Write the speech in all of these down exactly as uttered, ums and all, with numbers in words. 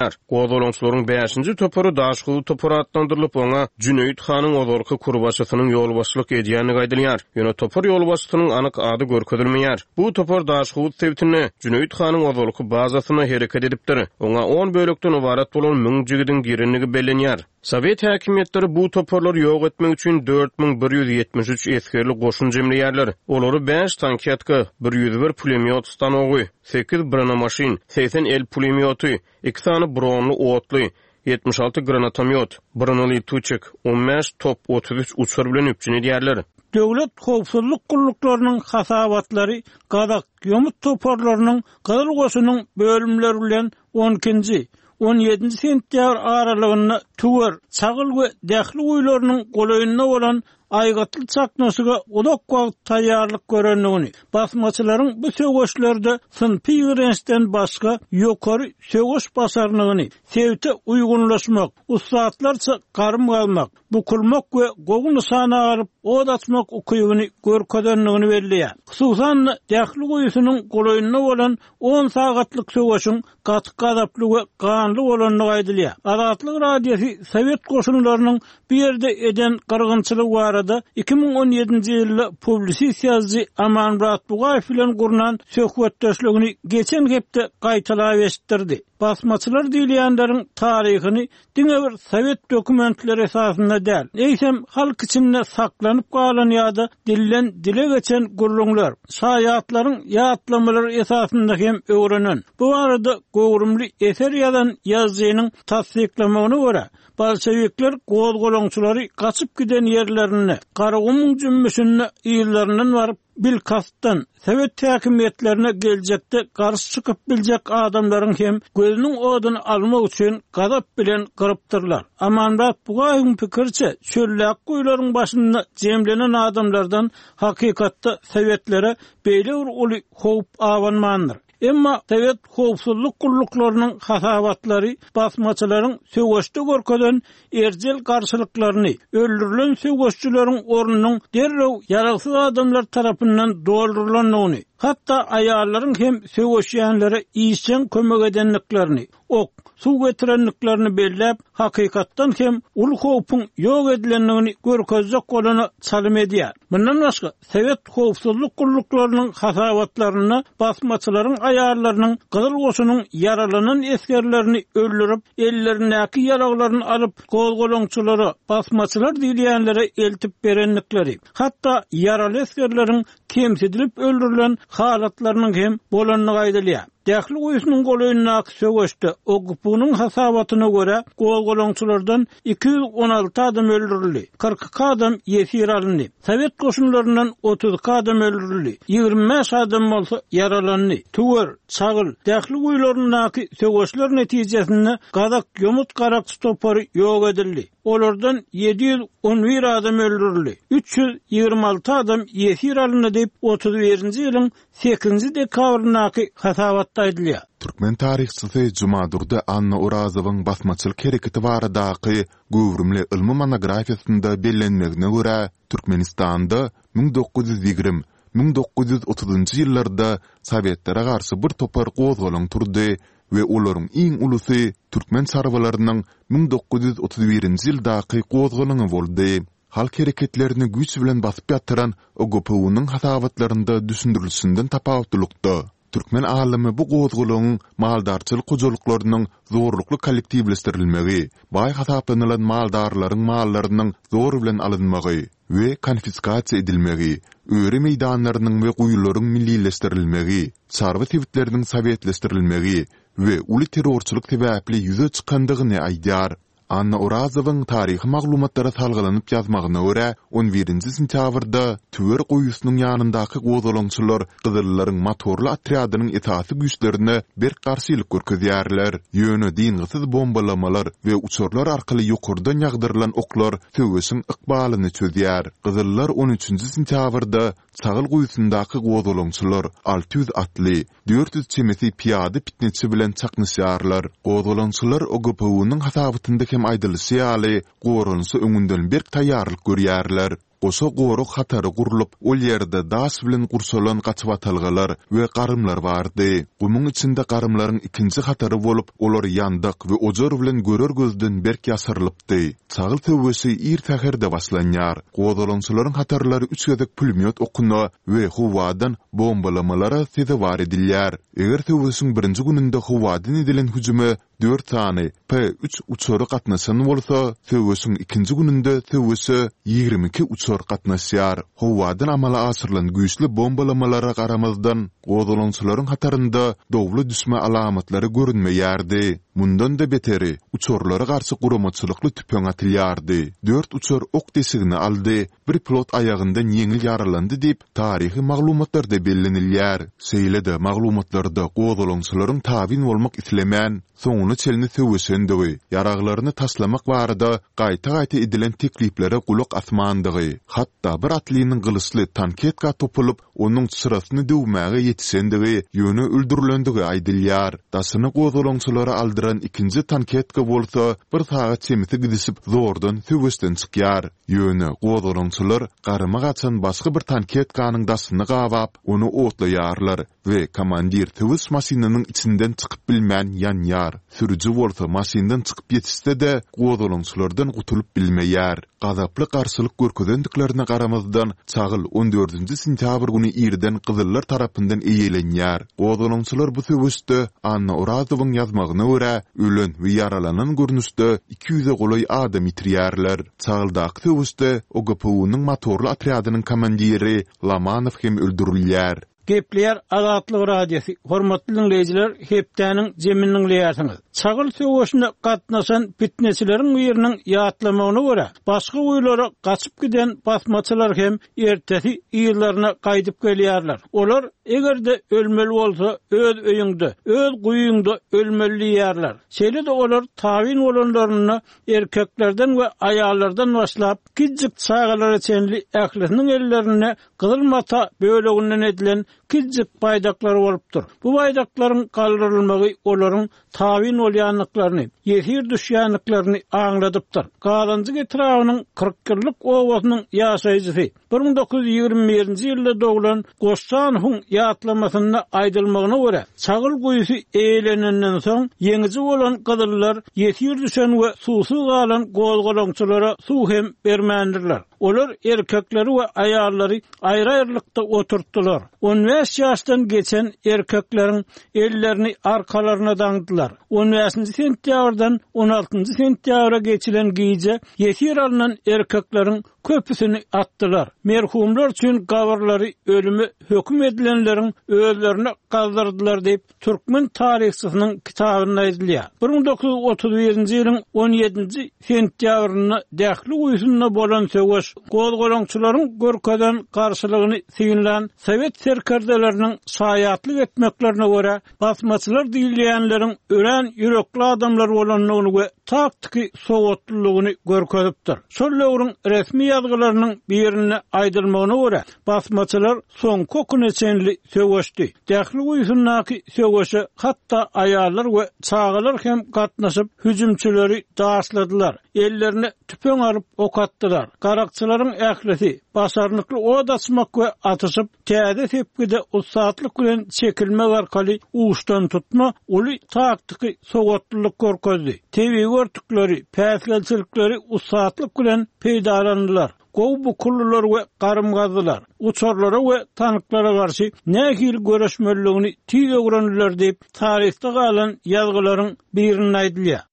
aýdylýar. Gozgalaňçylaryň bäşinji topary Daşhowuz topary atlandyrylyp, oňa Jüneýit hanyň ozalky kurbaşysynyň ýolbaşçylyk edýändigi aýdylýar. Ýöne topar ýolbaşçysynyň anyk ady görkezilmeýär. Bu topar Daşhowuz sebitinde, Jüneýit hanyň ozalky bazasynda hereket edipdir. Oňa on bölekden ybarat bolan müň jigidiň girendigi bellenýär. Sowet häkimiýetleri bu toparlary ýok etmek üçin dört müň bir ýüz ýetmiş üç esgerli goşun jemleýärler. Olary bäş tanketka, bir ýüz bir pulemýot stanogy, sekiz bronemaşyn, segsen el pulemýoty, iki sany bronly otly, ýetmiş alty granatomýot, bronelituçik, on bäş top, otuz üç uçar bilen üpjün edýärler. Döwlet howpsuzlyk gulluklarynyň hasabatlary gazak ýomut toparlarynyň Gyzyl goşunyň bölümleri bilen on ikinji, on ýedinji sentýabr aralygynda Tüwer, Çagyl we Dähli guýularynyň golaýynda bolan aýgytly çaknyşyga uzak wagt taýýarlyk görendigini, basmaçylaryň bu söweşlerde synpy ýigrençden başga ýokary söweş başarnygyny, sebite uýgunlaşmak, ussatlarça garym galmak, bukulmak we gowy nyşana alyp od açmak ukybyny görkezendigini belleýär. Hususan-da Dähli guýusynyň golaýynda bolan on sagatlyk söweşiň gaty gazaply we ganly bolandygy aýdylýar. Azatlyk Radiosy Sowet goşunlarynyň bu ýerde eden gyrgynçylygy barada iki müň on ýedinji ýylda publisist ýazyjy Amanmyrat Bugaýew bilen gurnan söhbetdeşligini geçen hepde gaýtalap eşitdirdi. Basmaçylar diýilýänleriň taryhyny diňe bir sowet dokumentleri esasynda däl, eýsem halk içinde saklanyp galan ýa-da dilden dile geçen gürrüňler, şaýatlaryň ýatlamalary esasynda hem öwrenen. Bu barada göwrümli eser ýazan ýazyjynyň tassyklamagyna görä, bolşevikler gozgalaňçylary gaçyp giden ýerlerinde, Garagumuň jümmüşinde yzlaryndan baryp, bilkastdan sowet häkimiýetlerine geljekde garşy çykyp biljek adamlaryň hem gözüniň oduny almak üçin gazap bilen gyrypdyrlar. Amanmyrat Bugaýewiň pikiriçe, çöllek guýularyň başynda jemlenen adamlardan hakykatda sowetlere beýle bir uly howp abanmandyr. Emma sowet howpsuzlyk gulluklarynyň hasabatlary basmaçylaryň söweşde görkezen erjel garşylyklaryny, öldürilen söweşçileriň ornunyň derrew ýaragsyz adamlar tarapyndan doldurylandygyny, hatda aýallaryň hem söweşýänlere işjeň kömek edendiklerini, ok, suw getirendiklerini belläp, hakykatdan hem uly howpuň ýok edilendigini görkezjek bolany çalym edýär. Mundan başga, sowet howpsuzlyk gulluklarynyň hasabatlarynda basmaçylaryň aýallarynyň Gyzyl goşunyň ýaralanan esgerlerini öldürip, ellerindäki ýaraglaryny alyp, gozgalaňçylara, basmaçylar diýilýänlere eltip berendikleri, hatda ýaraly esgerleriň kemsidilip öldürilen halatlarynyň hem bolandygy aýdylýar. Dähli guýusynyň golaýyndaky söweşde O G P U-nyň hasabatyna görä gozgalaňçylardan iki ýüz on alty adam öldürildi, kyrk iki adam ýesir alyndy. Sowet goşunlaryndan otuz iki adam öldürildi, ýigrimi bäş adam bolsa ýaralandy. Tüwer, Çagyl, Dähli guýularyndaky söweşler netijesinde gazak ýomut garakçy topary ýok edildi. Olardan ýedi ýüz on bir adam öldürildi, üç ýüz ýigrimi alty adam ýesir alyndy diýip otuz birinji ýylyň sekizinji dekabryndaky hasabatda aýdylýar. Türkmen taryhçysy Jumadurdy Anna Orazowyň basmaçylyk hereketi baradaky göwrümli ylmy monografiýasynda bellenmegine görä, Türkmenistanda müň dokuz ýüz ýigrimi, müň dokuz ýüz otuzynjy ýyllarda Sowetlere garşy bir topar gozgalaň turdy we olaryň iň ulusy türkmen çarwalarynyň müň dokuz ýüz otuz birinji ýyldaky gozgalaňy boldy. Halk hereketlerini güýç bilen basyp ýatyran O G P U-nyň hasabatlarynda düşündirilişinden tapawutlylykda, türkmen alymy bu gozgalaňyň maldarçylyk hojalyklarynyň zorlukly kollektiwleşdirilmegi, baý hasaplanylan maldarlaryň mallarynyň zor bilen alynmagy we konfiskasiýa edilmegi, öri meýdanlarynyň we guýularyň millileşdirilmegi, çarwa sebitleriniň sowetleşdirilmegi we uly terrorçylyk sebäpli ýüze çykandygyny aýdýar. Anna Orazowyň taryhy maglumatlara salgylanyp ýazmagyna görä, on birinji sentýabrda Tüwer guýusynyň ýanyndaky gozgalaňçylar Gyzyllaryň motorly otrýadynyň esasy güýçlerine berk garşylyk görkezýärler. Ýöne dyngysyz bombalamalar we uçarlar arkaly ýokardan ýagdyrylan oklar söweşiň ykbalyny çözýär. Gyzyllar on üçünji sentýabrda Çagyl guýusyndaky gozgalaňçylar alty ýüz atly, dört ýüz çemesi piýada pitneçi bilen çaknyşýarlar. Gozgalaňçylar O G P U-nyň hasabatynda hem aýdylyşy ýaly, goranyşa öňünden berk taýýarlyk görýärler. Goşa gorag hatary gurlup, ol ýerde daş bilen gurşalan gaçybatalgalar we garymlar bardy. Gumuň içinde garymlaryň ikinji hatary bolup, olar ýandak we ojar bilen görer gözden berk ýaşyrylypdy. Çagyl söweşi ir säherde başlanýar. Gozgalaňçylaryň hatarlary üç gezek pulemýot okuna we howadan bombalamalara sezewar edilýär. Eger söweşiň birinji gününde howadan edilen hüjüme dört sany P üç uçary gatnaşan bolsa, söweşiň ikinji gününde söweşe ýigrimi iki uçar gatnaşýar. Howadan amala aşyrylan güýçli bombalamalara garamazdan, gozgalaňçylaryň hatarynda dowla düşme alamatlary görünmeýärdi. Mundan-da beteri, uçarlara garşy guramaçylykly tüpeň atylýardy. Dört uçar ok deşigini aldy, bir pilot aýagyndan ýeňil ýaralandy diýip, taryhy maglumatlarda bellenilýär. Şeýle-de maglumatlarda gozgalaňçylaryň tabyn bolmak islemän, soňuna çenli söweşendigi, ýaraglaryny taşlamak barada gaýta-gaýta edilen tekliplere gulak asmandygy, hatda bir atlynyň gylyçly tanketka topulyp, onuň çyrasyny döwmäge ýetişendigi, ýöne öldürilendigi aýdylýar. Daşyny gozgalaňçylara aldyran ikinji tanketka bolsa bir sagat çemesi gidişip zordan söweşden çykýar. Ýöne gozgalaňçylar garyma gaçan başga bir tanketkanyň daşyny gabap, ony otlaýarlar we komandir söweş maşynynyň içinden çykyp bilmän ýanýar. Sürüji bolsa maşyndan çykyp ýetişse-de, gozgalaňçylardan gutulyp bilmeýär. Gazaply garşylyk görkezendiklerine garamazdan, Çagyl on dördünji sentýabr güni irden gyzyllar tarapyndan eýelenýär. Gozgalaňçylar bu söweşde, Anna Orazowyň ýazmagyna görä, ölen we ýaralanan görnüşde iki ýüze golaý adam ýitirýärler. Çagyldaky söweşde O G P U-nyň motorly otrýadynyň komandiri Lomanow hem öldürilýär. Gepleýär Azatlyk Radiosy. Hormatly diňleýjiler, hepdäniň jemini diňleýärsiňiz. Çagyl söweşine gatnaşan fitneçileriň biriniň ýatlamagyna görä, başga guýulara gaçyp giden basmaçylar hem ertesi ýerlerine gaýdyp gelýärler. Olar eger-de ölmeli bolsa öz öýüňde, öz guýuňda ölmeli diýýärler. Şeýle-de olar tabyn bolanlaryna erkeklerden we aýallardan başlap kiçijik çagalara çenli ählisiniň ellerinde gyzyl mata böleginden edilen kiçijik baýdaklar bolupdyr. Bu baýdaklaryň galdyrylmagy olaryň tabyn bolýanlyklaryny, ýesir düşýänliklerini aňladypdyr. Gazanjyk etrabynyň kyrk ýyllyk obasynyň ýaşaýjysy bir müň dokuz ýüz ýigrimi birinji ýylda doglan Goşjanowyň ýatlamasynda aýdylmagyna görä, Çagyl guýusy eýlenenden soň ýeňiji bolan gyzyllar ýesir düşen we suwsuz galan gozgalaňçylara suw hem bermändirler. Olar erkekleri we aýallary aýry-aýrylykda oturtdylar. On bäş ýaşdan geçen erkekleriň ellerini arkalaryna daňdylar. On bäşinji sentýabrdan on altynjy sentýabra geçilen gije ýesir alynan erkekleriň köpüsini atdylar. Merhumlar üçin gabyrlary ölüme höküm edilenleriň özlerine gazdyrdylar diýip türkmen taryhçysynyň kitabynda aýdylýar. Bir müň dokuz ýüz otuz birinji ýylyň on ýedinji sentýabrynda Dähli guýusynda bolan söweş gozgalaňçylaryň görkezen garşylygyny synlan Sowet serkerdeleriniň şaýatlyk etmeklerine görä, basmaçylar diýilýänleriň örän ýürekli adamlar bolandygyny we taktiki sowatlylygyny görkezipdir. Şol döwrüň resmi ýazgylarynyň birinde aýdylmagyna görä, basmaçylar soňky okuna çenli söweşdi. Dähli guýusyndaky söweşe hatda aýallar we çagalar hem gatnaşyp hüjümçileri daşladylar. Ellerine tüpeň alyp ok atdylar. Garakçylaryň ählisi başarnykly od açmak we atyşyp täze sepgide ussatlyk bilen çekilmek arkaly uçdan tutma uly taktiki sowatlylyk görkezdi. Tebigy örtükleri, päsgelçilikleri ussatlyk bilen peýdalandylar. Gow bukullular we garym gazdylar. Uçarlara we tanklara garşy nähili göreşmeliligini tiz öwrendiler diýip taryhda galan ýazgylaryň birinde aýdylýar.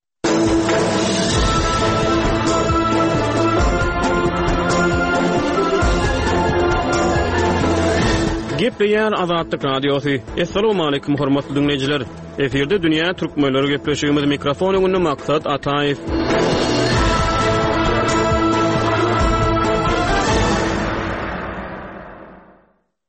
Gepleýär Azatlyk Radiosy. Essalamu aleýkum hormatly dinleýjiler. Efirde Dünýä Türkmenleri gepleşigimiz mikrofon öňünde Maksat Ataýew.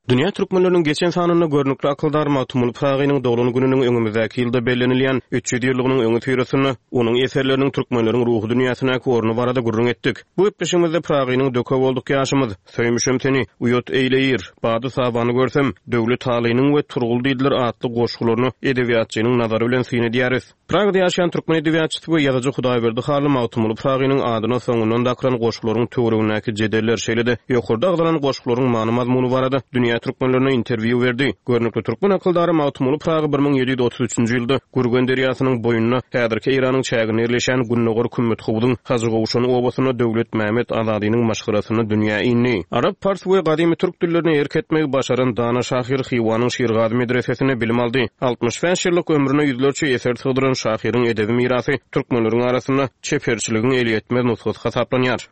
Dünýä Dünýä türkmenleriniň geçen sanynda görnükli akyldar Magtymguly Pyragynyň doglan gününiň öňümizdäki ýylda bellenilýän üç ýüz ýyllygynyň öňüsyrasynda onuň eserleriniň türkmenleriň ruhy dünýäsindäki orny barada gürrüň etdik. Bu gepleşigimizde Pyragynyň Döke bolduk ýaşymyz, Söýmüşem seni, Uýat eýleýir, Bady-sabany görsem, Döwlet Alynyň we Turgul diýdiler atly goşgularyna edebiýatçynyň nazary bilen syn edýäris. Pragada ýaşaýan türkmen edebiýatçysy we ýazyjy Hudaýberdi Hally Magtymguly Pyragynyň adyna soňundan dakylan goşgularyň töweregindäki jedeller, şeýle-de ýokarda agzalan goşgularyň many-mazmuny barada dünýä türkmenlerine interwýu berdi. Görnükli türkmen akyldary Magtymguly Pyragy bir müň ýedi ýüz otuz üçünji ýylda Gürgen derýasynyň boýunda, häzirki Eýranyň çäginde ýerleşýän Gündogar Kümmethowzuň Hajygowşan obasynda Döwletmämmet Azadynyň maşgalasynda dünýä indi. Arap, pars we gadymy türk dillerine erk etmegi başaran dana şahyr Hywanyň Şirgazy medresesinde bilim aldy. Altmyş bäş ýyllyk ömrüne ýüzlerçe eser sygdyran şahyryň edebi mirasy türkmenleriň arasynda çeperçiligiň elýetmez nusgasy hasaplanýar.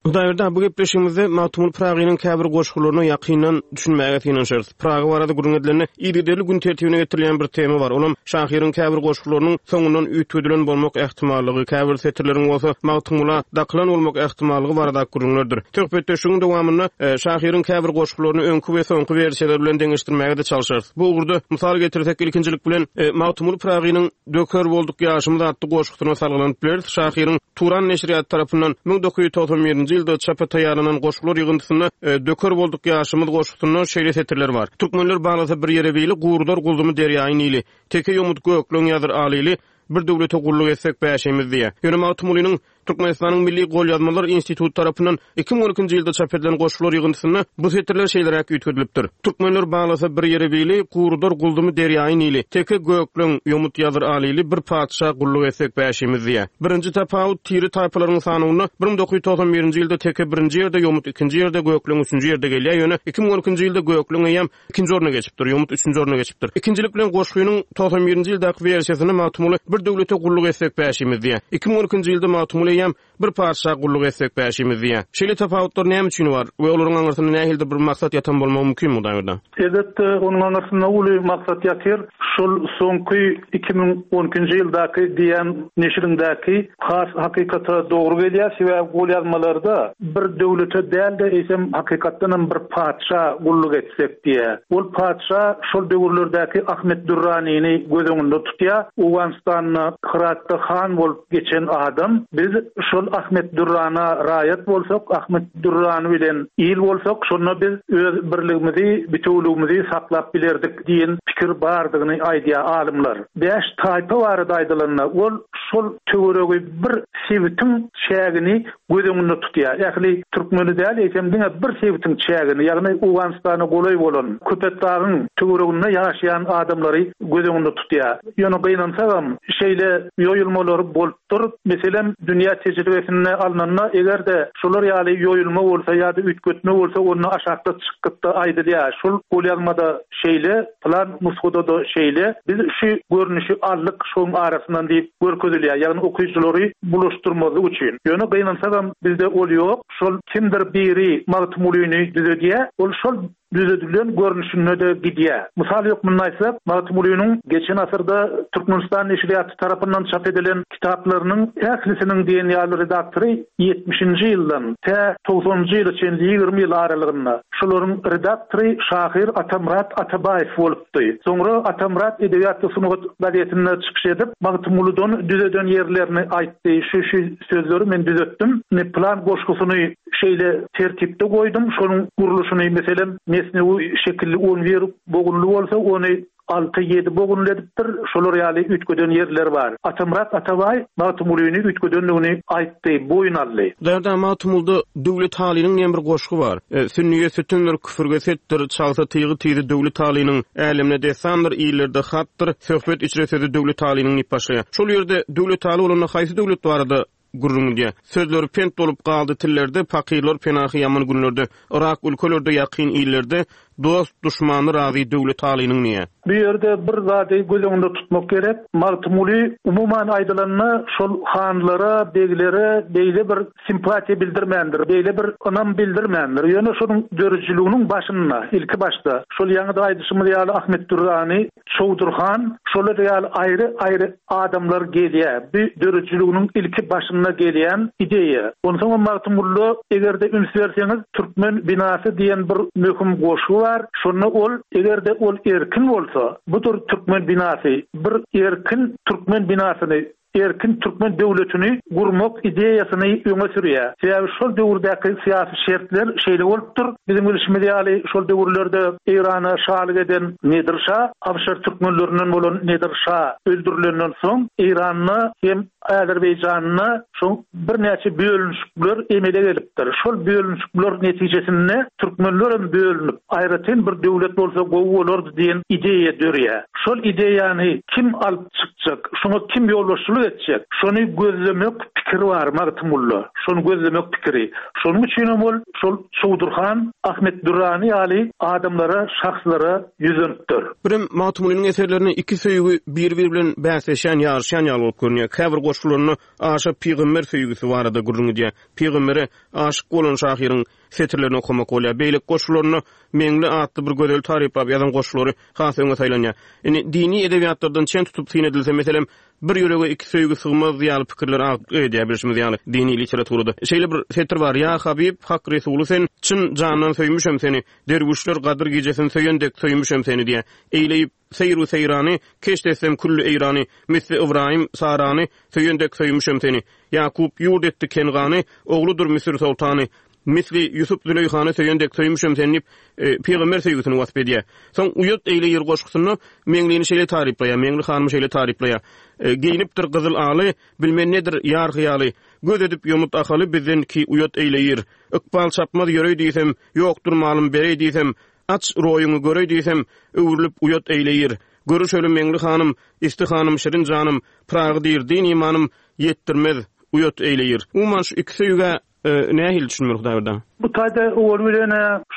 Hudaýberdi, bu gepleşigimizde Magtymguly Pyragynyň käbir goşgularyna ýakyndan düşünmäge synanyşarys. Pyragy barada gürrüň edilende, yzygiderli gün tertibine getirilýän bir tema bar. Olam şahyryň käbir goşgularynyň soňundan üýtgedilen bolmak ähtimallygy, käbir setirleriň bolsa Magtymgula dakylan bolmak ähtimallygy baradaky gürrüňlerdir. Söhbetdeşligiň dowamynda şahyryň käbir goşgularyny öňki we soňky wersiýalar bilen deňeşdirmäge-de çalşarys. Bu ugurda mysal getirsek, ilkinjilik bilen Magtymguly Pyragynyň Döker bolduk ýaşymyz atly goşgusyna salgylanyp bileris. Şahyryň Turan neşirýaty tarapyndan müň dokuz ýüz togsan birinji ýylda çapa taýýarlanan goşgular ýygyndysynda Döker bolduk ýaşymyz goşgusynda şeýle setirler bar. Türkmenler baglasa bir ýere bili, gurudar gulzumy derýaýy Nili. Teke ýomut gökleň ýazyr alyly, bir döwlete gulluk etsek bäşimiz diýýär. Ýöne Magtymgulynyň Türkmenistanyň Milli golýazmalar instituty tarapyndan iki müň on ikinji ýylda çap edilen goşgular ýygyndysynda bu setirler şeýleräk üýtgedilipdir. Türkmenler baglasa bir ýere bili, gurudar gulzumy derýaýy Nili. Teke gökleň, ýomut ýazyr alyly, bir patyşa gulluk etsek bäşimiz diýýär. Birinji tapawut tiri taýpalaryň sanawynda bir müň dokuz ýüz togsan birinji ýylda teke birinji ýerde, ýomut ikinji ýerde, gökleň üçünji ýerde gelýär. Ýöne iki müň on ikinji ýylda gökleň eýýäm ikinji orna geçipdir, ýomut üçünji orna geçipdir. Ikinjilik bilen goşgynyň togsan birinji ýyldaky wersiýasynda Magtymguly bir döwlete gulluk etsek bäşimiz diýýär. Iki müň on ikinji ýylda Magtymguly eýýäm bir patyşa gulluk etsek bäşimiz diýýär. Şeýle tapawutlar näme üçin bar we olaryň aňyrsynda nähilidir bir maksat ýatan bolmagy mümkin Hudaýberdi? Elbetde, onuň aňyrsynda uly maksat ýatyr. Şol soňky iki müň on ikinji ýyldaky diýen neşirindäki has hakykata dogry gelýär. Sebäbi golýazmalarda bir döwlete däl-de, eýsem hakykatdan hem bir patyşa gulluk etsek diýär. Ol patyşa şol döwürlerdäki Ahmet Dürranini göz öňünde tutýar. Owganystanda Hyratda han bolup geçen adam, biz şol Ahmet Dürrana raýat bolsak, Ahmet Dürrany bilen il bolsak, şonda biz öz birligimizi, bitewligimizi saklap bilerdik diýen pikir bardygyny aýdýar alymlar. Bäş taýpa barada aýdylanda, ol şol töweregi bir sebitiň çägini göz öňünde tutýar. Ähli türkmeni däl, eýsem diňe bir sebitiň çägini, ýagny Owganystana golaý bolan Köpetdagyň töwereginde ýaşaýan adamlary göz öňünde tutýar. Ýöne gynansagam şeýle ýoýulmalar bolupdyr. Meselem, dünýä tejribesinde alnanda, eger-de şolar ýaly ýoýulma bolsa ýa-da üýtgetme bolsa, onda aşakda çykgytda aýdylýar. Şol golýazmada şeýle, plan nusgada da şeýle, biz şu görnüşi aldyk şoň arasyndan diýip görkezilýär. Ýagny okyjylary bulaşdyrmazlyk üçin. Ýöne gynansagam bizde ol ýok. Şol kimdir biri Magtymgulyny düzedýär, ol şol düzedilen görnüşinde de gidýär. Mysal hökmünde aýtsak, Magtymgulynyň geçen asyrda Türkmenistan neşirýaty tarapyndan çap edilen kitaplarynyň ählisiniň diýen ýaly redaktory ýetmişinji ýyldan tä togsanynjy ýyla çenli ýigrimi ýyl aralygynda şolaryň redaktory şahyr Atamyrat Atabaýew bolupdy. Soňra Atamyrat Edebiýat we sungat gazetinde çykyş edip, Magtymgulydan düzeden ýerlerini aýtdy. Şu şu sözleri men düzetdim. Ne plan goşgusyny şeýle tertipde goýdum. Şonuň gurluşyny meselem mesnewi şekilli on bir bogunly bolsa, ony alty ýedi bogunly edipdir. Şolar ýaly üýtgeden ýerler bar. Atamyrat Atabaý Magtymgulyny üýtgedendigini aýtdy, boýun aldy. Därde Magtymgulyda Döwlet Halynyň diýen bir goşgy bar. E, Sünniýe sütündir, küfürge setdir, çalsa tygy tyzy Döwlet Halynyň, älemne dessandyr, illerde hatdyr, söhbet içre sözü Döwlet Halynyň diýip başlaýar. Şol ýerde Döwlet Haly bolanda haýsy döwlet barada gürrüň diýär. Sözleri pent bolup galdy tillerde, pakirler penahy ýaman günlerde, Irak ülkelerde, ýakyn illerde, Dost-duşmany razy Döwletalynyň diýýär. Bu ýerde bir zady göz öňünde tutmak gerek. Magtymguly umuman aýdylanda şol hanlara, beglere beýle bir simpatiýa bildirmändir, beýle bir ynam bildirmändir. Ýöne şonuň döredijiliginiň başynda, ilki başda şol ýaňy-da aýdyşymyz ýaly Ahmet Dürrany, Çowdur han, şolar ýaly aýry-aýry adamlar gelýär. Bu döredijiliginiň ilki başynda gelýän ideýa. Onsoňam Magtymgulyda eger-de üns berseňiz, Türkmen binasy diýen bir möhüm goşgy bar. Şonda ol eger-de ol erkin bolsa, budur türkmen binasy, bir erkin türkmen binasyny, erkin türkmen döwletini gurmak ideýasyny öňe sürýär. Sebäbi şol döwürdäki syýasy şertler şeýle bolupdyr. Biziň bilşimiz ýaly şol döwürlerde Eýrana şalyk eden Nedir şa, Awşar türkmenlerinden bolan Nedir şa öldürilenden soň Eýranda hem Azerbaýjanda şo birnäçe bölünişikler emele gelipdir. Şol bölünişikler netijesinde türkmenler hem bölünip, aýratyn bir döwlet bolsa gowy bolardy diýen ideýa dörýär. Şol ideýany kim alyp çykjak, şoňa kim ýolbaşçylyk etjek? Şony gözlemek pikiri bar Magtymgulyda. Şony gözlemek pikiri. Şonuň üçin hem ol şol Çowdur han, Ahmet Dürrany ýaly adamlara, şahslara ýüzlenipdir. Birem Magtymgulynyň eserlerinde iki söýgi bir-biri bilen bäsleşýän, ýaryşýan ýaly bolup görünýär. Käbir goşgularynda aşa pygamber söýgüsi barada gürrüň edýär. Pygambere aşyk bolan şahyryň setirlerini okamak bolýar. Beýleki goşgularynda Meňli atly bir gözel taryplap ýazan goşgulary has öňe saýlanýar. Indi dini edebiýatlardan çen tutup syn edilse, meselem, bir ýürege iki söýgi sygmaz ýaly pikirler agdyklyk edýär bilşimiz ýaly dini literaturada. Şeýle bir setir bar: Ýa Habib, Hak Resuly sen, çyn jandan söýmüşem seni, derwüşler Gadyr gijesini söýen dek söýmüşem seni diýýär. Eýleýip seýru seýrany, keşt etsem külli Eýrany, misli Ybraýym Sarany söýen dek söýmüşem seni. Ýakup ýurt etdi Kengany, ogludyr Müsür soltany, misli Ýusup Züleýhany söýen dek söýmüşem seni diýip, e, pygamber söýgüsini wasp edýär. Soň Uýat eýleýir goşgusynda Meňlini şeýle taryplaýar, Meňli hanymy şeýle taryplaýar. E, geýnipdir gyzyl aly, bilmen nedir ýar hyýaly, göz edip ýomut ahaly bizden ki uýat eýleýir. Ykbal çapmaz ýöreý diýsem, ýokdur malym bereý diýsem, aç roýuňy göreý diýsem, öwrülip uýat eýleýir. Görüşeli Meňli hanym, isti hanym şirin janym, Pyragy diýr din imanym, ýetdirmez uýat eýleýir. Umuman şu iki söýgä e, nähili düşünmeli Hudaýberdi? Bu taýda owal bilen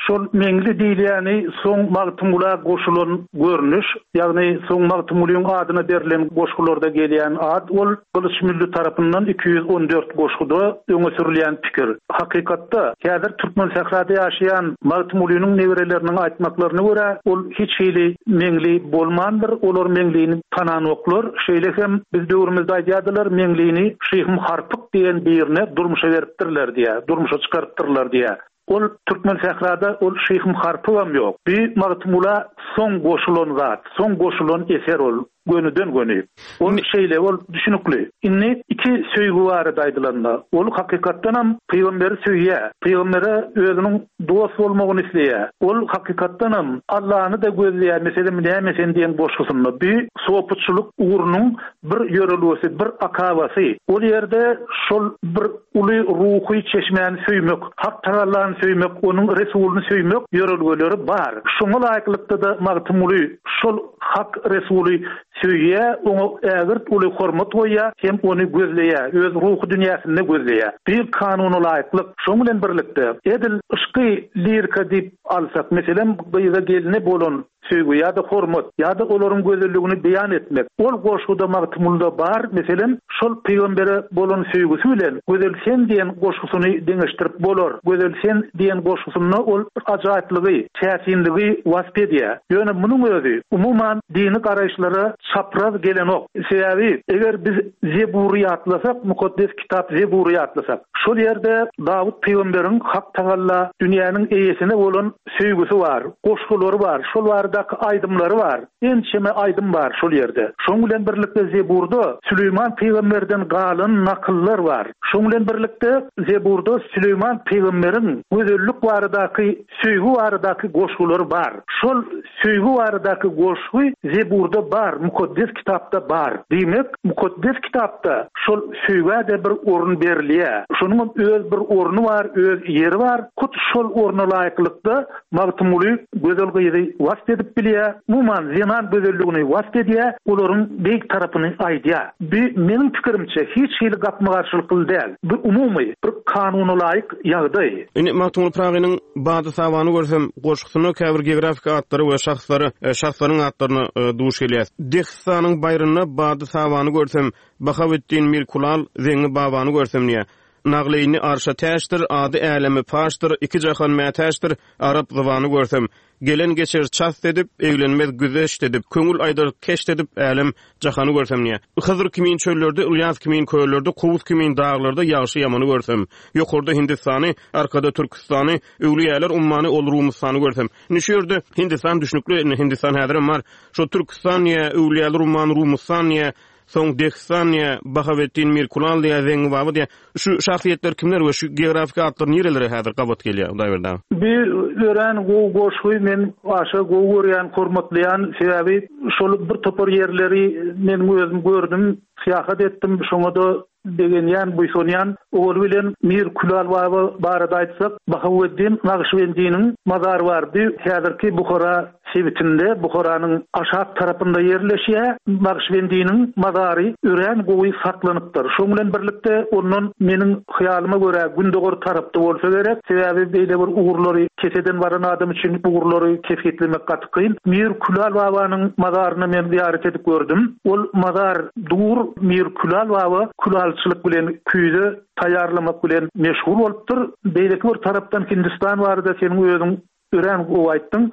şol Meňli diýilýäni soň Magtymgula goşulan görnüş, ýagny soň Magtymgulyň adyna berlen goşgularda gelýän ad ol Gylyç Mülli tarapyndan iki ýüz on dört goşguda öňe sürülýän pikir. Hakykatda häzir Türkmen sährada ýaşaýan Magtymgulynyň nebereleriniň aýtmaklaryna görä ol hiç hili Meňli bolmandyr, olar Meňlini tananoklar. Şeýle hem biz döwrümizde aýdýardylar, Meňlini Şyhym Harpyk diýen birine durmuşa beripdirler diýä, durmuşa çykarypdyrlar diýä. Ol Türkmen sährada ol Şyhym Harpygam ýok. Bir Magtymgula soň goşulan zat, soň goşulan eser ol gönüden göni. Ol şeýle ol düşünikli. Indi iki söýgi barada aýdylanda, ol hakykatdanam pygamberi söýýär. Pygambere özüniň dost bolmagyny isleýär. Ol hakykatdanam Allah'ny da gözleýär. Meselem, näme sen diýen goşgusynda bir sopuçylyk ugrunyň bir ýörelgesi, bir akabasy. Ol ýerde şol bir uly ruhy çeşmäni söýmek, Hak Tagallany söýmek, onuň Resulyny söýmek ýörelgeleri bar. Şoňa laýyklykda da Magtymguly şol Hak Resuly söýýär, oňa ägirt uly hormat goýýar, hem ony gözleýär, öz ruhy dünýäsinde gözleýär. Bir kanuna laýyklyk, şoň bilen birlikde edil yşky lirika diýip alsak, meselem, gyza geline bolan söýgi ýa-da hormat ýa-da olaryň gözelligini beýan etmek. Ol goşguda Magtymgulyda bar, meselem, şol pygambere bolan söýgüsi bilen Gözel sen diýen goşgusyny deňeşdirip bolar. Gözel sen diýen goşgusynda ol ajaýyplygy, täsinligi wasp edýär. Ýöne munuň özi umuman dini garaýyşlara çapraz gelenok. Sebäbi eger biz Zebury ýatlasak, mukaddes kitap Zebury ýatlasak, şol ýerde Dawut pygamberiň Hak Tagalla dünýäniň eýesine bolan söýgüsi bar, goşgulary bar, şol baradaky aýdymlary bar. Ençeme aýdym bar şol ýerde. Şoň bilen birlikde Zeburda Süleýman pygamberden galan nakyllar bar. Şoň bilen birlikde Zeburda Süleýman pygamberiň gözellik baradaky, söýgi baradaky goşgulary bar. Şol söýgi baradaky goşgy Zeburda bar, mukaddes kitapda bar. Diýmek, mukaddes kitapda şol söýgä de bir orun berilýär. Şonuň öz bir orny bar, öz ýeri bar. Hut şol orna laýyklykda Magtymguly gözel gyzy wasp edip edip bilýär, umuman zenan gözelligini wasp edýär, olaryň beýik tarapyny aýdýar. Bu meniň pikirimçe hiç hili gapma-garşylykly däl. Bu umumy bir kanuna laýyk ýagdaý. Indi Magtymguly Pyragynyň Bady Sabany görsem goşgusynda käbir geografik atlary we şahslary, e, şahslaryň atlaryna e, duş gelýär. Dehistanyň baýrynda Bady Sabany görsem, Bahaweddin Mirkulal, Zeňňi Babany görsem diýýär. Nagleýni arşa täçdir, ady äleme paşdyr, iki jahan mätäçdir, arap zybany görsem. Gelen geçer çast edip, eglenmez güzeşt edip, köňül aýdar keşt edip, älem jahany görsem diýýär. Hyzr kimin çöllerde, Ylýas kimin köllerde, Kowus kimin daglarda ýagşy ýamany görsem. Ýokarda Hindistany, arkada Türküstany, öwlüýäler ummany ol Rumystany görsem. Indi şu ýerde Hindistan düşnükli, indi Hindistan häzirem bar. Şo Türküstan diýýär, öwlüýäler ummany Rumystan diýýär, soň Dehistan diýýär, Bahaweddin Mirkulal diýýär, Zeňňi Baba diýýär. Şu şahsyýetler kimler we şu geografik atlar nirelere häzir gabat gelýär, Hudaýberdi aga? Bir örän gowy goşgy men aşa gowy görýän, hormatlaýan, sebäbi şol bir topar ýerleri men özüm gördüm, syýahat etdim, şoňa-da begenýän, buýsanýan. Ol bilen Mir Külal Baba barada aýtsak, Bahaweddin Nagyşbendiniň mazary bardy. Häzirki Buhara sebitinde, Buharanyň aşak tarapynda ýerleşýär. Nagyşbendiniň mazary örän gowy saklanypdyr. Şoň bilen birlikde ondan meniň hyýalyma görä gündogar tarapda bolsa gerek. Sebäbi beýle bir ugurlary keseden baran adam üçin ugurlary kesgitlemek gaty kyn. Mir Külal Babanyň mazaryny men ziýaret edip gördüm. Ol mazar dur, Mir Külal Baba külalçylyk bilen küýze taýýarlamak bilen meşgul bolupdyr. Beýleki bir tarapdan Hindistan barada seniň özüň örän gowy aýtdyň.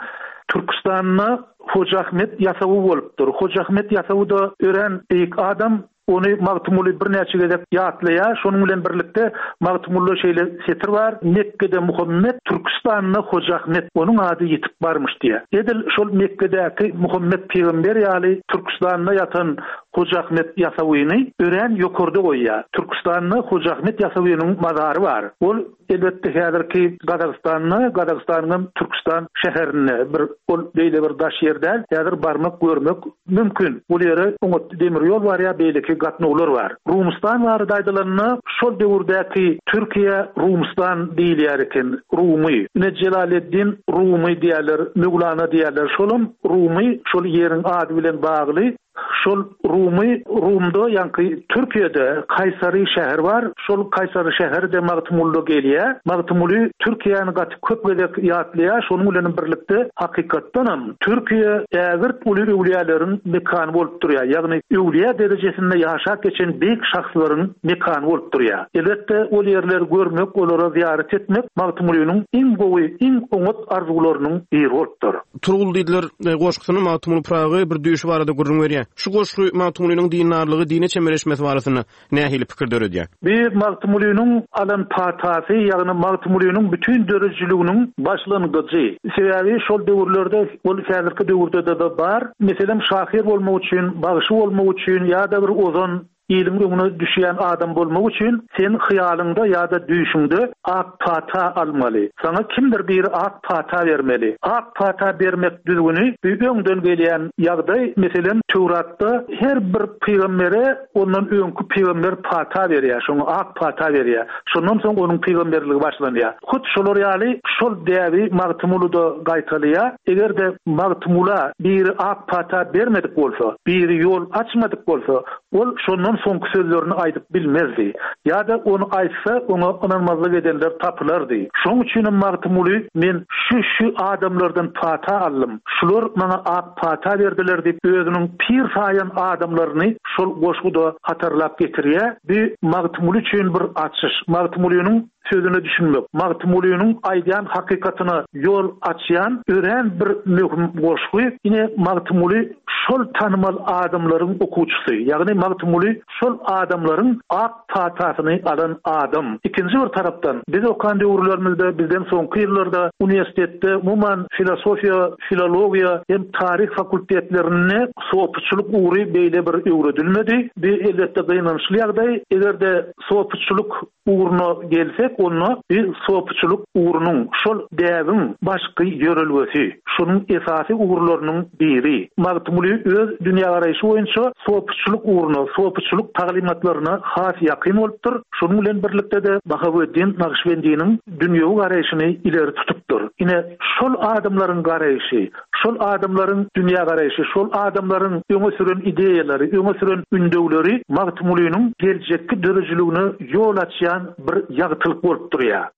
Türküstanda Hoja Ahmet Ýasawy bolupdyr. Hoja Ahmet Ýasawy da örän beýik adam. Ony Magtymguly birnäçe gezek ýatlaýar. Şonuň bilen birlikde Magtymgulyda şeýle setir bar: Mekke'de Muhammed, Türküstanda Hoja Ahmet, onuň ady ýetip barmyş diýär. Edil şol Mekke'däki Muhammed pygamber ýaly Türküstanda ýatan Hoja Ahmet Ýasawyny örän ýokarda goýýar. Türküstanda Hoja Ahmet Ýasawynyň mazary bar. Ol elbetde häzirki Gazagystanda, Gazagystanyň Türküstan şäherinde bir ol beýle bir daş ýer däl, häzir barmak görmek mümkin. Bu ýere oňat demir ýol bar ýa beýleki gatnawlar bar. Rumustan barada aýdylanda, şol döwürdäki Türkiýe Rumustan diýilýär eken, Rumy. Ine Jelaleddin Rumy diýerler, Möwlana diýerler. Şolam Rumy şol ýeriň ady bilen bagly. Şol Rumy, Rumda, ýaňky Türkiýede Kaýsary şäheri bar. Şol Kaýsary şäheri de Magtymgulyda gelýär. Magtymguly Türkiýäni gaty köp gezek ýatlaýar. Şonuň bilen birlikde hakykatdanam Türkiýe ägirt uly öwlüýäleriň mekany bolup durýar. Ýagny öwlüýä derejesinde ýaşap geçen beýik şahslaryň mekany bolup durýar. Elbetde ol ýerleri görmek, olara ziýaret etmek Magtymgulynyň iň gowy, iň oňat arzuwlarynyň biri bolupdyr. Turgul diýdiler, e, goşgusyny Magtymguly Pyragy bir düýşi barada gürrüň berýär. Şu goşgy Magtymgulynyň dindarlygy, dine çemeleşmesi barasynda nähili pikir döredýär? Bir Magtymgulynyň alan patasy, ýagny Magtymgulynyň bütün döredijiliginiň başlangyjy. Sebäbi şol döwürlerde, ol häzirki döwürde de bar. Meselem, şahyr bolmak üçin, bagşy bolmak üçin ýa-da bir ozan iliň öňüne düşýän adam bolmak üçin sen hyýalyňda ýa-da düýşüňde ak pata almaly. Saňa kimdir biri ak pata bermeli. Ak pata bermek düzgüni bir öňden gelýän ýagdaý. Meselem, Töwratda her bir pygambere ondan öňki pygamber pata berýär, şoňa ak pata berýär. Şondan soň onuň pygamberligi başlanýar. Hut şolar ýaly şol däbi Magtymgulyda gaýtalaýar. Eger-de Magtymgula biri ak pata bermedik bolsa, biri ýol açmadyk bolsa, ol şondan soňky sözlerini aýdyp bilmezdi. Ýa-da ony aýtsa, oňa ynanmazlyk edenler tapylardy. Şonuň üçin hem Magtymguly men şu-şu adamlardan pata aldym. Şular maňa ak pata berdiler diýip, özüniň pir saýan adamlaryny şol goşguda hatarlap getirýär. Bu Magtymguly üçin bir açyş. Magtymgulynyň sözüne düşünmek, Magtymgulynyň aýdýan hakykatyna ýol açýan örän bir möhüm goşgy. Ine Magtymguly şol tanymal adamlaryň okuwçysy, ýagny Magtymguly şol adamlaryň ak patasyny alan adam. Ikinji bir tarapdan biz okan döwürlerimizde, bizden soňky ýyllarda uniwersitetde umuman filosofiýa, filologiýa hem taryh fakultetlerinde sopuçylyk ugry beýle bir öwredilmedi. Bu elbetde gynançly ýagdaý. Eger-de sopuçylyk ugruna gelsek, onda bir sopuçylyk ugrunyň, şol däbiň başky ýörelgesi, şonuň esasy ugurlarynyň biri. Magtymguly öz dünýägaraýşy boýunça sopuçylyk ugruna, sopuçylyk taglymatlaryna has ýakyn bolupdyr. Şonuň bilen birlikde-de Bahaweddin Nagyşbendiniň dünýewi garaýşyny ileri tutupdyr. Ine, şol adamlaryň garaýşy, şol adamlaryň dünýägaraýşy, şol adamlaryň öňe süren ideýalary, öňe süren ündewleri Magtymgulynyň geljekki döredijiligine ýol açýan bir ýagtylyk bolup durýar.